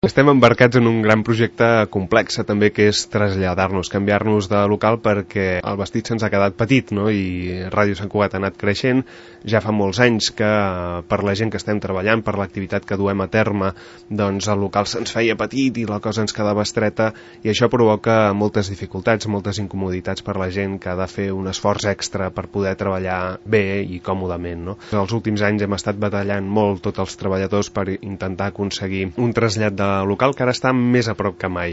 Estem embarcats en un gran projecte complex també, que és traslladar-nos, canviar-nos de local, perquè el vestit se'ns ha quedat petit, no? I Ràdio Sant Cugat ha anat creixent. Ja fa molts anys que per la gent que estem treballant, per l'activitat que duem a terme, doncs el local se'ns feia petit i la cosa ens quedava estreta, i això provoca moltes dificultats, moltes incomoditats per la gent que ha de fer un esforç extra per poder treballar bé i còmodament, no? Els últims anys hem estat batallant molt tots els treballadors per intentar aconseguir un trasllat de local que ara està més a prop que mai.